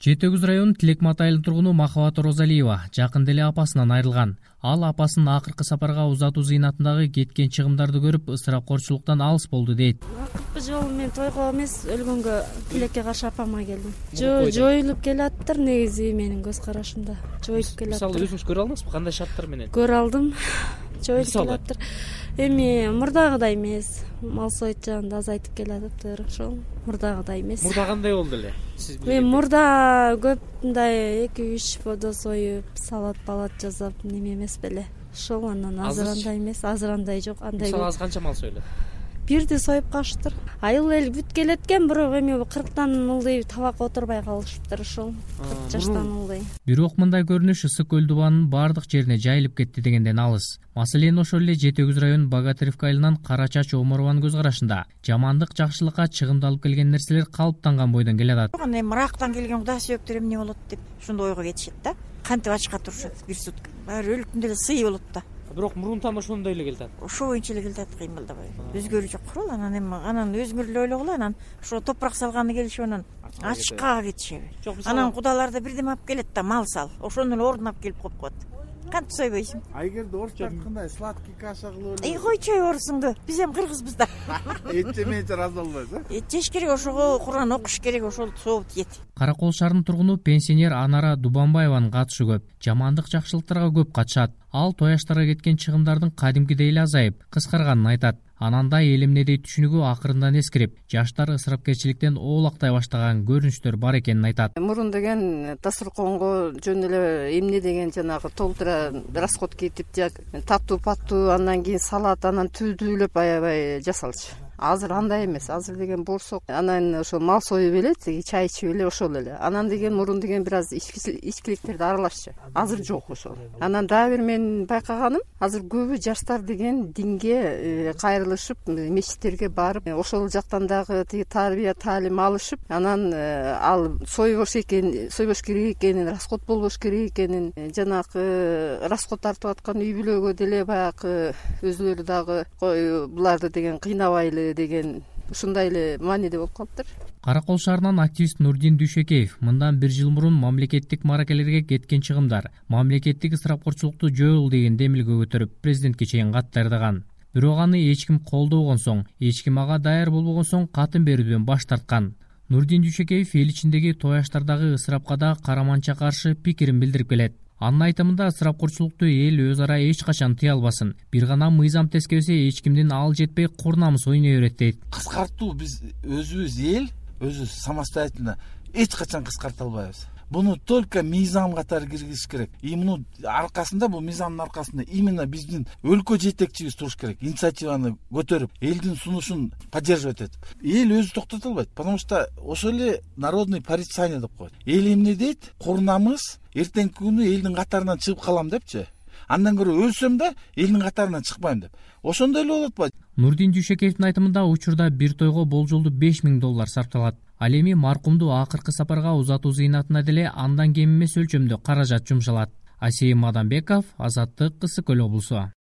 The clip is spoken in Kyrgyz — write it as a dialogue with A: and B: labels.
A: Жети Өгүз районунун Тилекмат айылынын тургуну Махабат Розалиева жакында эле апасынан айрылган. Ал апасынын акыркы сапарга узатуу зыйнатындагы кеткен чыгымдарды көрүп, ысырапкорчулуктан алыс болду дейт.
B: Акыркы жолу мен тойго эмес, өлгөнгө тилекке каршы апама келдим. Жоюлуп келаттыр негизи менин көз карашымда. Жоюлуп келаттыр.
A: Мисалы өзүңүз көрө алдыңызбы, кандай шарттар менен?
B: Көрө алдым. Жоюлуп келаттыр. Эми мурдагыдай эмес. Мал соют жагында азайтып келатыптыр. Ошол мурдагыдай эмес.
A: Мурда кандай болду эле?
B: Мен мурда көп мындай 2-3 бодо союп, салат жасап, неме эмес беле. Ошол анан азыр андай эмес, азыр андай жок, андай.
A: Мисалы азыр канча мал союлат?
B: Бирди союп калыштыр. Айыл эл бүт келеткен, бирок эми 40тан ылдый табакка отурбай калышыптыр ошол. 40 жаштан ылдый.
A: Бирок мындай көрүнүш Ысык көл дубанынын бардык жерине жайылып кетти дегенден алыс. Маселен ошол эле Жети Өгүз районунун Богатыревка айылынан Кара Чач Омарованын көз карашында жамандык жакшылыкка чыгымдалып келген нерселер калыптанган бойдон келе атат.
C: Эми Ирактан келген Кудай сүйөктөр эмне болот деп ошондой ойго кетишет да. Кантип ачка турушат бир сутка. Баары өлүктүн деле сый болот да.
A: Бирок мурунтан ошондой эле келатат.
C: Ошо боюнча эле келатат, кыймылдабай. Өзгөрүү жок курал, анан өзүңөр эле ойлогула, анан ошо топурак салганы келишип анан ачкага кетишеби. Анан кудалар да бирдеме алып келет да, мал сал. Ошонун эле ордуна алып келип коюп коет. Кантип сойбойсуң?
D: Айгерде орус айткандай сладкий каша кылып эле.
C: Койчой орусуңду. Биз эми кыргызбыз да.
D: Эт жемейинче ыраазы болбойсуз,
C: Эт жеш керек, ошого Куран окуш керек, ошол сооп тиет.
A: Каракол шаарынын тургуну пенсионер Анара Дубанбаеванын катышы көп. Жамандык жакшылыктарга көп катышат. Ал той аштарга кеткен чыгымдардын кадимкидей эле азайып, кыскарганын айтат. Ананда эл эмнедей түшүнүгү акырындан эскирип, жаштар ысырапкерчиликтен оолактай баштаган көрүнүштөр бар экенин айтат.
E: Мурун деген дасторконго жөн эле эмне деген жанагы толтура расход кетип, таттуу паттуу, андан кийин салат, анан түздүүлөп аябай жасалчу. Азыр андай эмес, азыр деген борсок, анан ошо мал союп эле, чай ичип эле ошол эле. Анан деген мурун деген бир аз ичкиликтерди аралашчу. Азыр жок ошол. Анан дагы бир мен байкаганым, азыр көбү жаштар деген динге кайрылышып, мечиттерге барып, ошол жактан дагы тиги тарбия таалим алышып, анан ал сойбош керек экенин, расход болбош керек экенин, жанагы расход тартып аткан үй бүлөгө деле баягы өзүлөрү дагы буларды деген кыйнабайлы деген ушундай эле мааниде болуп калыптыр.
A: Каракол шаарынан активист Нурдин Дүйшекеев мындан 1 жыл мурун мамлекеттик маракелерге кеткен чыгымдар мамлекеттик ысырапкорчулукту жоюл деген демилге көтөрүп президентке чейин кат даярдаган. Бирок аны эч ким колдобогон соң, эч ким ага даяр болбогон соң катын берүүдөн баш тарткан. Нурдин Дүйшекеев эл ичиндеги той аштардагы ысырапка да караманча каршы пикирин билдирип келет. Анын айтымында ысырапкорчулукту эл өз ара эч качан тыя албасын. Бир гана мыйзам тескебесе эч кимдин ал жетпей курнамыз ойной берет дейт.
D: Кыскартуу биз өзүбүз эл, өзү самостоятельно эч качан кыскарта албайбыз. Буну только мыйзам катары киргизиш керек. И муну аркасында, бул мыйзамдын аркасында именно биздин өлкө жетекчибиз туруш керек. Инициативаны көтөрүп, элдин сунушун поддерживать этип. Эл өзү токтото албайт, потому что ошол эле народный порицание деп коет. Эл эмне дейт? Курнамыз эртеңки күнү элдин катарынан чыгып калам депчи. Андан көрө өлсөм да элдин катарынан чыкпайм деп. Ошондой эле болот го.
A: Нурдин Дүйшекеевдин айтымында учурда бир тойго болжолдуу $5000 сарпталат. Ал эми маркумду акыркы сапарга узатуу зыйнатына деле андан кем эмес өлчөмдө каражат жумшалат. Асейим Мадамбеков, Азаттык, Ысык көл облусу.